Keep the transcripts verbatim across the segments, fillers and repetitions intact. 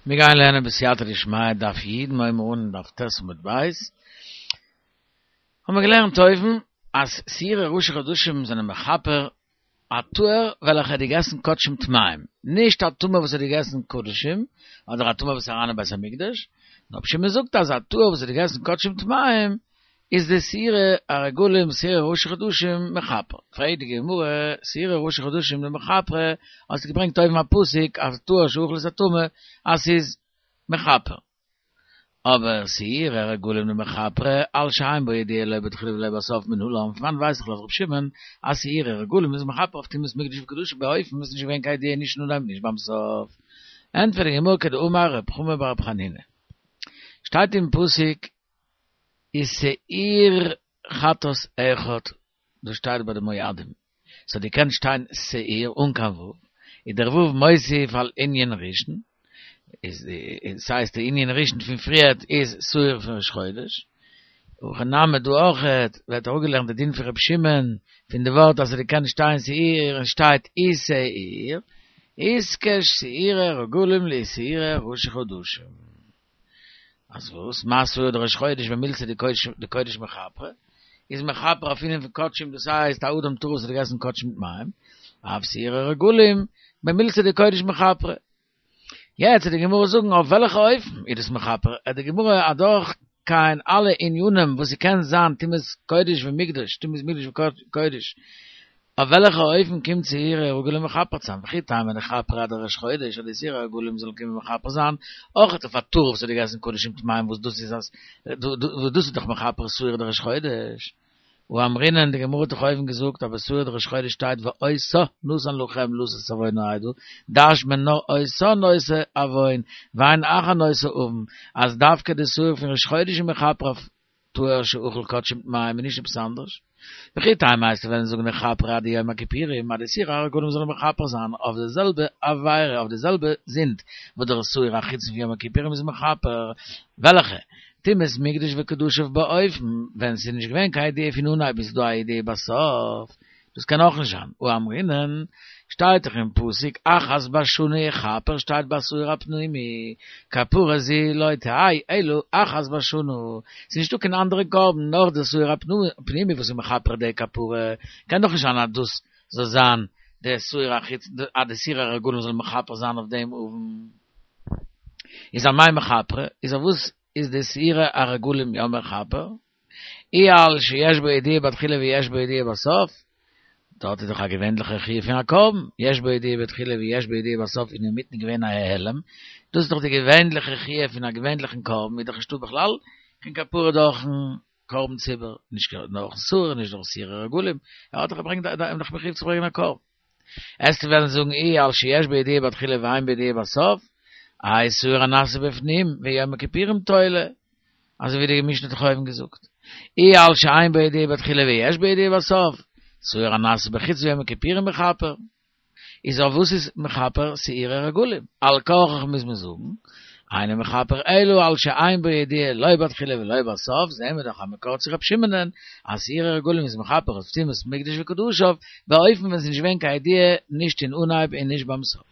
מיר גייען לערנען בסייעתא דשמיא דף י', מיר הייבן אן דף ט' עמוד ב'. האבן מיר געלערנט אויבן אז שעירי ראשי חדשים זענען מכפר א טהור וועלכע האט געגעסן קדשים טמאים, נישט א טמא וואס האט געגעסן קדשים, אדער א טמא וואס איז אריין אין בית המקדש, נאר רבי שמעון זאגט אז א טהור וואס האט געגעסן קדשים טמאים איז די שעירי הרגלים שעירי ראשי חדשים מכפר. פרעגט די גמרא, שעירי ראשי חדשים דמכפרי, האסטו געברענגט אויבן א פסוק אז טהור שאכל את הטמא אז ס'איז מכפר. אבער שעירי הרגלים דמכפרי על שאין בו ידיעה לא בתחילה ולא בסוף מנלן, פון וואנעט ווייס איך לויט ר' שמעון אז שעירי הרגלים איז מכפר אויף טומאת מקדש וקדשיו באופן וואס איז נישט געווען קיין ידיעה נישט אין אנהייב נישט ביים סוף. ענטפערט די גמרא כדאמר רב חמא בר רב חנינא. שטייט אין פסוק ושעיר חטאת אחד, דאס שטייט ביי די מועדים, ס'האט געקענט שטיין שעיר אן קיין ו', איז דער ו' מוסיף על ענין ראשון, איז ס'הייסט די ענין ראשון פון פריערט איז שעיר פון ראש חודש, הכא נמי דא אויכעט ווערט אראפגעלערנט די דין פון ר' שמעון פון די ווארט אז ס'האט געקענט שטיין שעיר און שטייט ושעיר, איתקש שעירי רגלים לשעירי ראשי חדשים. אז וואס? מה שעיר דראש חודש במילתא דקודש מכפרי, איז מכפר אויף ענין פון קדשים דאס הייסט א אדם טהור וואס האט געגעסן קדשים טמאים, אף שעירי רגלים במילתא דקודש מכפרי. יעצט וועט די גמרא זאגן אויף וועלכע אופן איז דאס מכפר, וועט די גמרא אדורך גיין אלע ענינים וואס ס'קען זיין טומאת קודש ומקדש, טומאת מקדש וקודש, אויף וועלכע אופן קומט שעירי הרגלים מכפר צו זיין? וכי תימא דכפרה אדראש חודש אז די שעירי הרגלים זאלן קומען מכפר זיין אויכעט אויף א טהור וואס האט געגעסן קדשים טמאים וואס דאס איז אז וואס דאס איז דאך מכפר שעיר דראש חודש והא אמרינן די גמרא האט דאך אויבן געזאגט אז ביי שעיר דראש חודש שטייט ואותה נתן לכם לשאת עון העדה דרש'נט מען נאר אותה נושא עון ואין אחר נושא עון אז דווקא די שעיר פון ראש חודש איז מכפר אויף טהור שאכל קדשים טמאים און נישט עפעס אנדערש. וכי תימא וועסטו וועלן זאגן דכפרה אדיום הכיפורים אז די שעירי הרגלים זאלן מכפר זיין אויף די זעלבע עבירה אויף די זעלבע זינד וואס דער שעיר החיצון פון יום הכיפורים איז מכפר וועלכע טומאת מקדש וקדשיו באופן ווען ס'איז נישט געווען קיין ידיעה פון אנהייב און ס'איז דא א ידיעה בסוף דאס קען אויך נישט זיין, והא אמרינן, שטייט דאך אין פסוק אחת בשנה יכפר שטייט ביי שעיר הפנימי, כפרה זו לא תהא אלא אחת בשנה, ס'איז נישטא קיין אנדערע קרבן נאר די שעיר הפנימי וואס איז מכפר די כפרה, קען דאך נישט זיין אז דאס זאל זיין די שעיר החיצון, אז די שעירי הרגלים זאל מכפר זיין אויף דעם עון. איז אמאי מכפרי, איז אויף וואס איז די שעירי הרגלים יא מכפר? אי על שיש בו ידיעה בתחילה ויש בו ידיעה בסוף, דארט איז דאך א געווענליכע חיוב פון א קרבן, יש בו ידיעה בתחילה ויש בו ידיעה בסוף און אינמיטן געווען א העלם, דאס איז דאך די געווענליכע חיוב פון א געווענליכן קרבן, איז דאך נישטא בכלל קיין כפרה דורכן קרבן ציבור, נישט דורכן שעיר, נישט דורך שעירי רגלים, ער האט דאך געברענגט, ער איז דאך מחויב צו ברענגען א קרבן. וועסטו וועלן זאגן אי על שיש בו ידיעה בתחילה ואין בו ידיעה בסוף, האי שעיר הנעשה בפנים ויום הכיפורים תולה, אזוי ווי די משנה האט דאך אויבן געזאגט, אי על שאין בו ידיעה בתחילה ויש בו ידיעה בסוף, שעיר הנעשה בחוץ ויום הכיפורים מכפר. איז אויף וואס איז מכפר שעירי רגלים? על כרחך מוז מען זאגן, אינו מכפר אלא על שאין בו ידיעה לא בתחילה ולא בסוף, זעהן מיר דאך א מקור צו ר' שמעונ'ען אז שעירי רגלים איז מכפר אויף טומאת מקדש וקדשיו, באופן ווען ס'איז נישט געווען קיין ידיעה נישט אין אנהייב און נישט ביים סוף.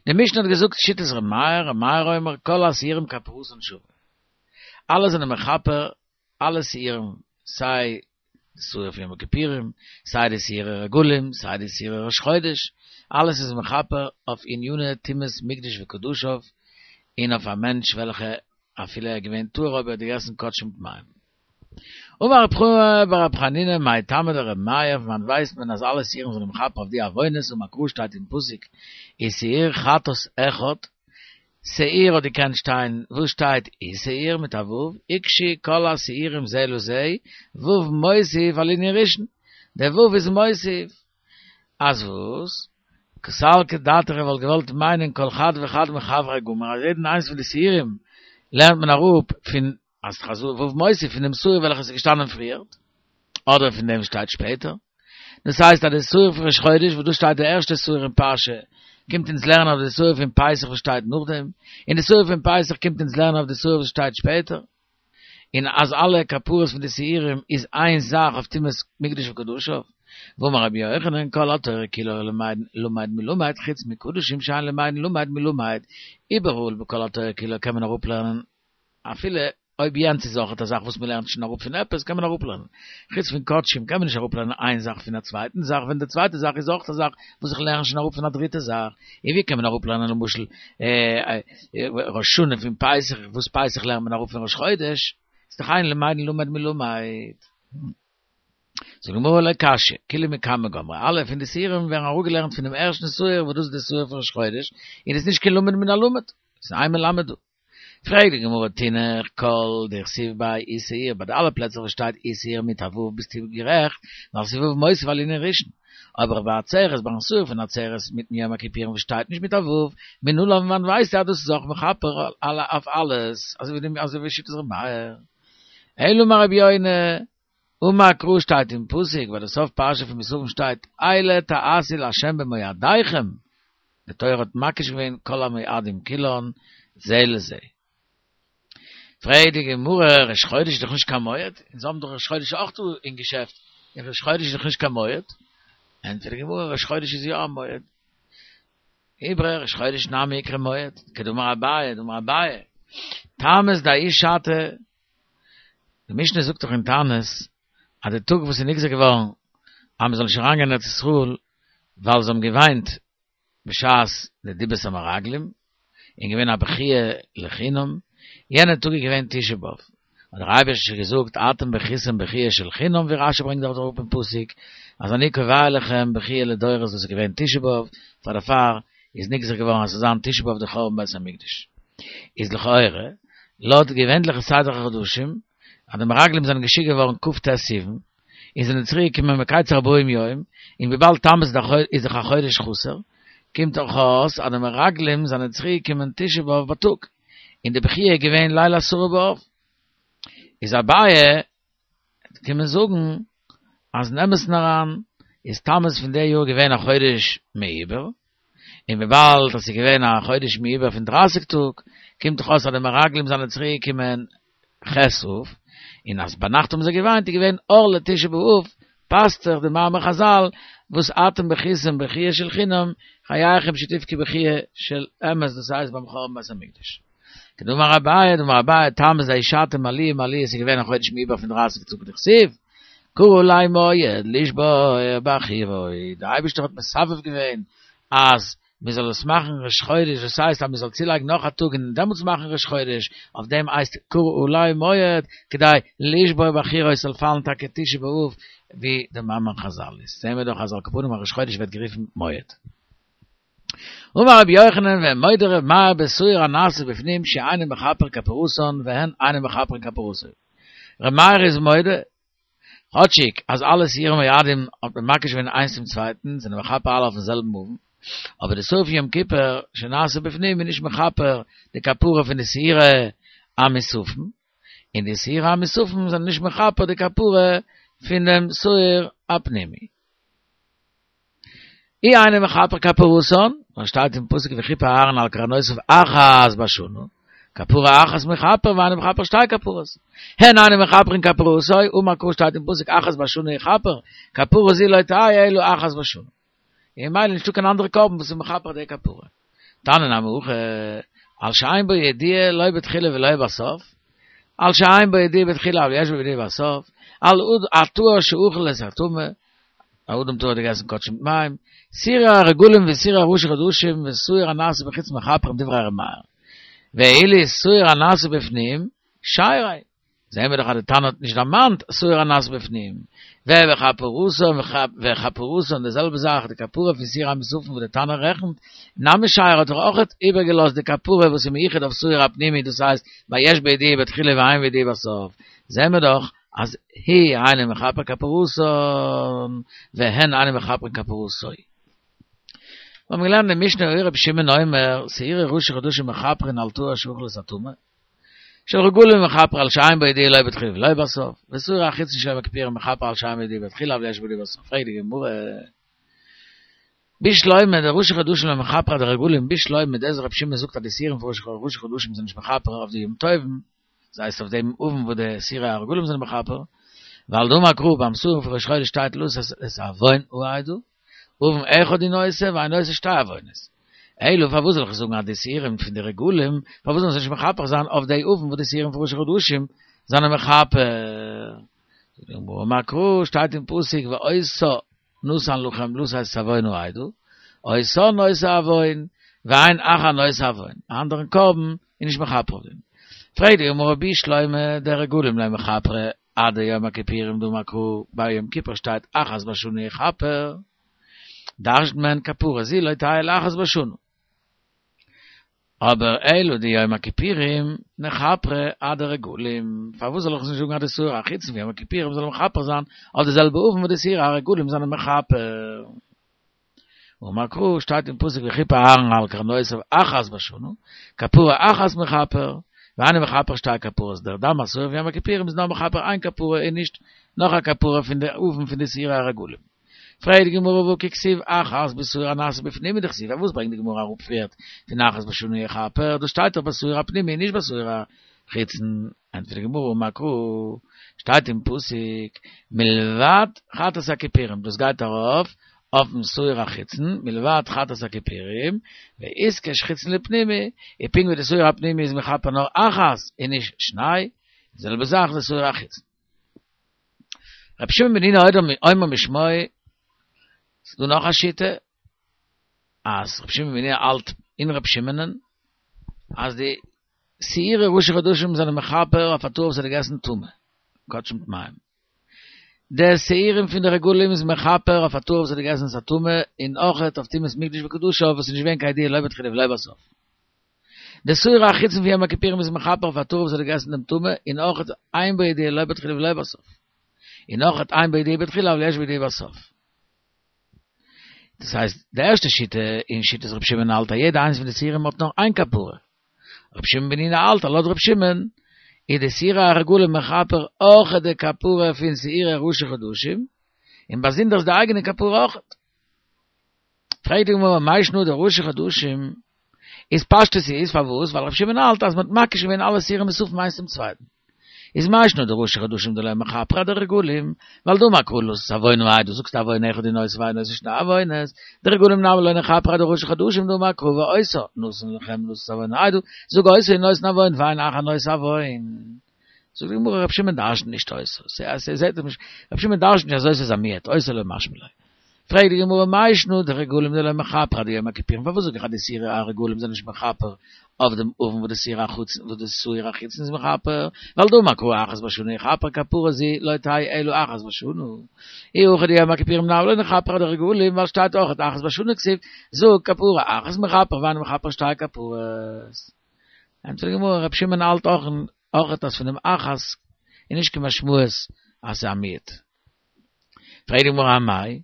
די משנה האט געזאגט שיטת ר' מאיר, ר' מאיר אומר כל השעירים כפרתן שווה. אלע זענען מכפר אלע שעירים, סיי די שעיר פון יום הכיפורים, סיי די שעירי רגלים, סיי די שעירי ראש חודש, אלעס איז מכפר אויף עניני טומאת מקדש וקדשיו, און אויף א מענטש וועלכע אפילו ער איז געווען טהור אבער ער האט געגעסן קדשים טמאים. אמר רב חמא בר רב חנינא מאי טעמא דרבי מאיר, פון וואנעט ווייסט מען אז אלע שעירים זענען מכפר אויף די עוונות, אמר קרא שטייט אין פסוק ושעיר חטאת אחד, שעיר האט געקענט שטיין וואס שטייט ושעיר מיט א ו', הוקשו כל השעירים זה לזה, ו' מוסיף על ענין ראשון, דער ו' איז מוסיף אז וואס? קא סלקא דעתך איך וואלט געוואלט מיינען כל חד וחד מחבריה גמיר אז יעדן איינס פון די שעירים לערנט מען אראפ פון אז חז ו' מוסיף פון דעם שעיר וועלכע איז געשטאנען פריערט, אדער פון דעם שטייט שפעטער. דאס הייסט אז די שעיר פון ראש חודש וואס דאס שטייט די ערשטע שעיר אין פרשה קומט אונז לערנען אויף די שעיר פון פסח וואס שטייט נאכדעם, און די שעיר פון פסח קומט אונז לערנען אויף די שעיר וואס שטייט שפעטער. און אז אלע כפרות פון די שעירים איז איין זאך אויף טומאת מקדש וקדשיו. ואמר רבי יוחנן כל התורה כולה למד מלומד חוץ מקדשים שאין למדין למד מלומד איבעראל בכל התורה כולה קען מען אראפלערנען אפילו אויב יענץ איז אויך א זאך וואס מ'לערנט שוין אראפ פון עפעס קען מען אראפלערנען. חוץ פון קדשים קען מען נישט אראפלערנען איין זאך פון א צווייטן זאך ווען די צווייטע זאך איז אויך א זאך וואס איך לערן שוין אראפ פון א דריטע זאך. און ווי קען מען אראפלערנען למשל ראש השנה פון פסח וואס פסח לערנט מען אראפ פון ראש חודש? איז דאך אין למדין למד מלמד. זאגט די גמרא לא קשיא, כולהו מקמי גמרי, אלע פון די שעירים ווערן אראפגעלערנט פונעם ערשטן שעיר וואס דאס איז די שעיר פון ראש חודש, און עס איז נישט קיין למד מן הלמד, עס איז איין מלמד דא. פרעגט די גמרא תינח כל דכתיב ביה ושעיר, ביי די אלע פלעצער וואס שטייט ושעיר מיט א ו' ביסטו גערעכט, ווייל ס'איז ו' מוסיף על ענין ראשון, אבער ביי עצרת ביים שעיר פון עצרת מיטן יום הכיפורים וואס שטייט נישט מיט א ו', מנלן פון וואנעט ווייסטו אז דאס איז אויך מכפר אויף אלעס, אזוי ווי שיטת ר' מאיר. אלא אמר רבי יונה, אמר קרא שטייט אין פסוק ביי די סוף פרשה פון מוספים שטייט אלה תעשו לה' במועדיכם, די תורה האט מקיש געווען כל המועדים כולן זה לזה. פרעגט די גמרא, ראש חודש איז דאך נישט קיין מועד, אונז האבן דאך ראש חודש אויך דא אין געשעפט, און ראש חודש איז דאך נישט קיין מועד. ענטפערט די גמרא, ראש חודש איז יא א מועד. איברא ראש חודש נמי איקרי מועד, כדאמר אביי, דאמר אביי, תמוז דההיא שעתא, די משנה זאגט דאך אין תענית אז די טאג וואס איז נגזר געווארן אז מען זאל נישט אריינגיין אין ארץ ישראל ווייל זיי האבן געוויינט בשעת די דיבת המרגלים און געווען א בכיה לחינם, יענע טאג איז געווען תשעה באב, האט דער אייבערשטער געזאגט אתם בכיתם בכיה של חינם ווי רשי ברענגט דארט אראפ אין פסוק אז אני קובע לכם בכיה לדורות וואס איז געווען תשעה באב, פאר דערפאר איז נגזר געווארן אז ס'זאל זיין תשעה באב די חורבן בית המקדש. איז לכאורה, לויט די געווענליכע סדר החדשים, אז די מרגלים זענען געשיקט געווארן כ"ט סיוון, און זענען צוריק געקומען מקץ ארבעים יום, און וויבאלד תמוז איז דאך א חודש חסר, קומט דאך אויס אז די מרגלים זענען צוריק געקומען תשעה באב בייטאג, און די בכיה איז געווען ליל עשרה באב. איז אביי קומען זאגן אז אין אמת'ן אריין איז תמוז פון די יאר געווען א חודש מעובר, און וויבאלד עס איז געווען א חודש מעובר פון דרייסיג טאג, קומט דאך אויס אז די מרגלים זענען צוריק געקומען ח' אב, און אז ביינאכט האבן זיי געוויינט איז געווען אור לתשעה באב, פאסט זיך די מאמר חזל וואס אתם בכיתם בכיה של חינם, חייכם שתבכו בכיה של אמת דאס הייסט ביים חורבן בית המקדש. כדאמר אביי, דאמר אביי, תמוז דההיא שעתא מלאי מלאי עס איז געווען א חודש מעובר פון דרייסיג טאג דכתיב, קרא עלי מועד לשבור בחירות, דער אייבערשטער האט מסבב געווען אז מען זאל עס מאכן ראש חודש, דאס הייסט אז מען זאל צולייגן נאך א טאג און דעמאלטס מאכן ראש חודש, אויף דעם הייסט קרא עלי מועד, כדי לשבור בחירות זאל פאלן טאקע תשעה באב, ווי די מאמר חזל איז. זעהן מיר דאך אז על כל פנים א ראש חודש ווערט גערופן מועד. אמר רבי יוחנן ומודה ר' מאיר בשעיר הנעשה בפנים שאינו מכפר כפרתן והן אינן מכפרין כפרתו. ר' מאיר איז מודה כאטשיג אז אלע שעירי מועדים האט מען מקיש געווען איינס צום צווייטן, זענען מכפר אלע אויפן זעלבן עון, אבער די שעיר פון יום כיפור שנעשה בפנים איז נישט מכפר די כפרה פון די שעירי המוספים, און די שעירי המוספים זענען נישט מכפר די כפרה פון דעם שעיר הפנימי. אי אינו מכפר כפרתן, ווייל שטייט אין פסוק וכיפר אהרן על קרנותיו אחת בשנה, כפרה אחת מכפר ואינו מכפר שתי כפרות. הן אינן מכפרין כפרתו, אמר קרא שטייט אין פסוק אחת בשנה יכפר, כפרה זו לא תהא אלא אחת בשנה. און ממילא נישטא קיין אנדערע קרבן וואס איז מכפר די כפרה. תניא נמי הכי, על שאין בו ידיעה לא בתחילה ולא בסוף, על שאין בו ידיעה בתחילה אבל יש בו ידיעה בסוף, על הטהור שאכל את הטמא, א אדם טהור האט געגעסן קדשים מיט מים, שעירי הרגלים ושעירי ראשי חדשים ושעיר הנעשה בחוץ מכפרים דברי ר' מאיר. ואילו שעיר הנעשה בפנים, שייריה. זעהן מיר דאך אז די תנא האט נישט דערמאנט שעיר הנעשה בפנים. וכפרתן וכפרתן די זעלבע זאך די כפרה פון שעיר המוספים וואס די תנא רעכנט, נמי שיירא האט דאך אויך איבערגעלאזט די כפרה וואס איז מיוחד אויף שעיר הפנימי דאס הייסט ביי יש בו ידיעה בתחילה ואין בו ידיעה בסוף. זעהן מיר דאך אז הוא אינו מכפר כפרתן והן אינן מכפרין כפרתו. מיר האבן געלערנט אין משנה היה רבי שמעון אומר שעירי ראשי חדשים מכפרין על טהור שאכל את הטמא, של רגלים מכפר על שאין בו ידיעה לא בתחילה ולא בסוף, ושעיר החיצון של יום הכיפורים מכפר על שאין בו ידיעה בתחילה אבל יש בו ידיעה בסוף. פרעגט די גמרא, בשלמא דראשי חדשים לא מכפרי אדרגלים, בשלמא דאס רבי שמעון זאגט אז די שעירים פון ראשי חדשים זענען נישט מכפר אויף די יום טובים, דאס הייסט אויף דעם עון וואס די שעירי הרגלים זענען מכפר, ווייל דאמר קרא ביים שעיר פון ראש חודש שטייט לשאת את עון העדה, עון אחד הוא נושא ואינו נושא שתי עוונות. אלא פארוואס זאל איך זאגן אז די שעירים פון די רגלים, פארוואס זאלן זיי נישט מכפר זיין אויף די עון וואס די שעירים פון ראש חדשים זענען מכפר? זאגט די גמרא אמר קרא שטייט אין פסוק ואותה נתן לכם לשאת את עון העדה, אותה נושא עון, ואין אחר נושא עון, א אנדערן קרבן איז נישט מכפר אויף דעם. פרעגט די גמרא בשלמא דרגלים לא מכפרי עד יום הכיפורים דאמר קרא ביי יום כיפור שטייט אחת בשנה יכפר, דרש'נט מען כפרה זו לא תהא אלא אחת בשנה. אבער אלא דיום הכיפורים נכפרי עד הרגלים, פארוואס זאל איך נישט זאגן אז די שעיר החיצון פון יום הכיפורים זאל מכפר זיין אויף די זעלבע עון וואס די שעיר הרגלים זענען מכפר? אמר קרא שטייט אין פסוק וכיפר אהרן על קרנותיו אחת בשנה, כפרה אחת מכפר, ואינו מכפר שתי כפרות, דער דם השעיר פון יום הכיפורים איז נאר מכפר איין כפרה און נישט נאך א כפרה פון די עון פון די שעיר הרגלים. פרעגט די גמרא והא כי כתיב אחת בשעיר הנעשה בפנים הוא דכתיב, פארוואס ברענגט די גמרא אראפ פריערט פון אחת בשנה יכפר, דאס שטייט דאך בשעיר הפנימי און נישט בשעיר החיצון, ענטפערט די גמרא אמר קרא, שטייט אין פסוק מלבד חטאת הכיפורים, דאס גייט ארויף אויפן שעיר החיצון, מלבד חטאת הכיפורים, ואיתקש חיצון לפנימי, און פונקט ווי די שעיר הפנימי איז מכפר נאר אחת און נישט שני, די זעלבע זאך די שעיר החיצון. רבי שמעון בן אידה אומר משמו, ס'איז דא נאך א שיטה, אז רבי שמעון בן אידה האלט אין רבי שמעונ'ען, אז די שעירי ראשי חדשים זענען מכפר אויף א טור וואס האט געגעסן טמא, קדשים טמאים. די שעירים פון די רגלים איז מכפר אויף א טור וואס האט געגעסן את הטמא, און אויכעט אויף טומאת מקדש וקדשיו וואס איז נישט געווען קיין ידיעה לא בתחילה ולא בסוף. די שעיר החיצון פון יום הכיפורים איז מכפר אויף א טור וואס האט געגעסן דעם טמא, און אויכעט אין בו ידיעה לא בתחילה ולא בסוף. און אויכעט אין בו ידיעה בתחילה אבל יש בו ידיעה בסוף. דאס הייסט, די ערשטע שיטה אין שיטת רבי שמעון האלט אז יעדע איינס פון די שעירים האט נאר איין כפרה. רבי שמעון בן אידה האלט אז לויט רבי שמעון איז די שעירי הרגלים מכפר אויכעט די כפרה פון שעירי ראשי חדשים, און באזונדערס די אייגענע כפרה אויכעט. פרעגט די גמרא מאי שנא דראשי חדשים איז פשטות איז פארוואס ווייל רבי שמעון האלט אז מ'האט מקיש געווען אלע שעירים מוספים איינס צום צווייטן איז מאי שנא דראשי חדשים דלא מכפרי אדרגלים ווייל דאמר קרא לשאת עון העדה זאגסט עון אחד הוא נושא ואינו נושא שני עוונות דרגלים נמי לא נכפרי אדראשי חדשים דאמר קרא ואותה נתן לכם לשאת עון העדה זאג אותה הוא נותן עוון ואין אחר נושא עוון זאגט די גמרא רבי שמעון דרש'נט נישט אותה ס'זעט נישט רבי שמעון דרש'נט נישט אז אותה איז א מיעוט אותה לא משמע ליה פרעגט די גמרא מאי שנא דרגלים דלא מכפרי עד יום הכיפורים פארוואס זאג איך אז די שעירי הרגלים זענען נישט מכפר אויף דעם עון וואס די שעיר החיצון וואס די שעיר החיצון איז מכפר ווייל דאמר קרא אחת בשנה יכפר כפרה זו לא תהא אלא אחת בשנה אי הכי דיום הכיפורים נמי לא נכפרי אדרגלים ווייל שטייט אויך אחת בשנה כתיב זאג כפרה אחת מכפר ואינו מכפר שתי כפרות ענטפערט די גמרא רבי שמעון האלט אויך אויך אז פון דעם אחת איז נישט קיין משמעות אז ס'איז א מיעוט. פרעגט די גמרא אמאי,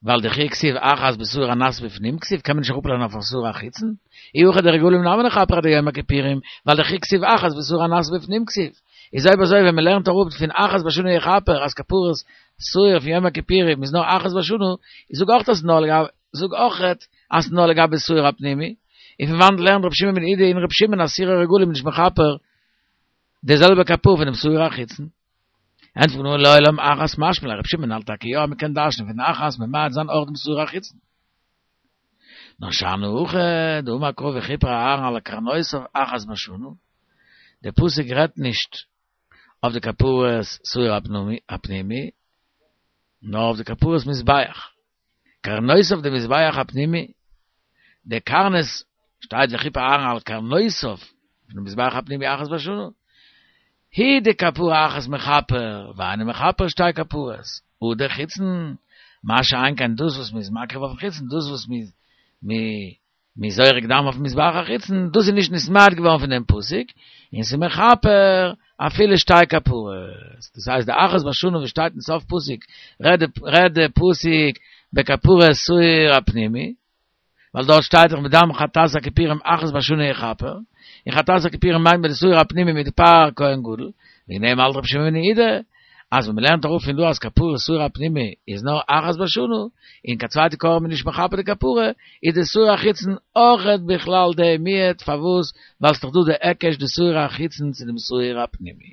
ווייל דכי כתיב אחת בשעיר הנעשה בפנים כתיב קען מען נישט אראפלערנען אויף א שעיר החיצון, אי הכי דרגלים נמי נכפרי עד יום הכיפורים, ווייל דכי כתיב אחת בשעיר הנעשה בפנים כתיב, איז אויב אזוי ווען מען לערנט אראפ פון אחת בשנה יכפר אז כפרת שעיר פון יום הכיפורים איז נאר אחת בשנה, זאג אויך אז נאר לגבי זאג אויכעט אז נאר לגבי שעיר הפנימי, און פון וואנעט לערנט רבי שמעון בן אידי אין רבי שמעון אז שעירי רגלים נישט מכפר די זעלבע כפרה פונעם שעיר החיצון? ענטפערט די גמרא לעולם אחת משמע ליה, רבי שמעון האלט טאקע יא אז מ'קען דרש'נען פון אחת ממעט זיין אויך דעם שעיר החיצון. נאר שאני הכא דאמר קרא וכיפר אהרן על קרנותיו אחת בשנה, דער פסוק רעדט נישט אויף די כפרת שעיר הפנימי, נאר אויף די כפרת מזבח. קרנותיו דמזבח הפנימי, די קרנות שטייט וכיפר אהרן על קרנותיו פון מזבח הפנימי אחת בשנה, הוא דכפרה אחת מכפר, ואינו מכפר שתי כפרות, הא דחיצון, מה שאין כן דאס וואס מ'איז מקריב אויפן חיצון, דאס וואס מ'איז זורק דם אויפן מזבח החיצון, דאס איז נישט נתמעט געווארן פון דעם פסוק, און ס'איז מכפר אפילו שתי כפרות. דאס הייסט די אחת בשנה וואס שטייט אין סוף פסוק, רעדט די פסוק בכפרת שעיר הפנימי, ווייל דארט שטייט דאך מדם חטאת הכיפורים אחת בשנה יכפר, און חטאת הכיפורים מיינט מען די שעיר הפנימי מיט די פר כהן גדול, וועגן דעם האלט רבי שמעון בן יהודה אז ווען מ'לערנט אראפ פון דא אז כפרת שעיר הפנימי איז נאר אחת בשנה, און קיין צווייטע קרבן איז נישט מכפר די כפרה, איז די שעיר החיצון אויכעט בכלל די מיעוט, פארוואס? ווייל ס'דאך דא די היקש די שעיר החיצון צו דעם שעיר הפנימי.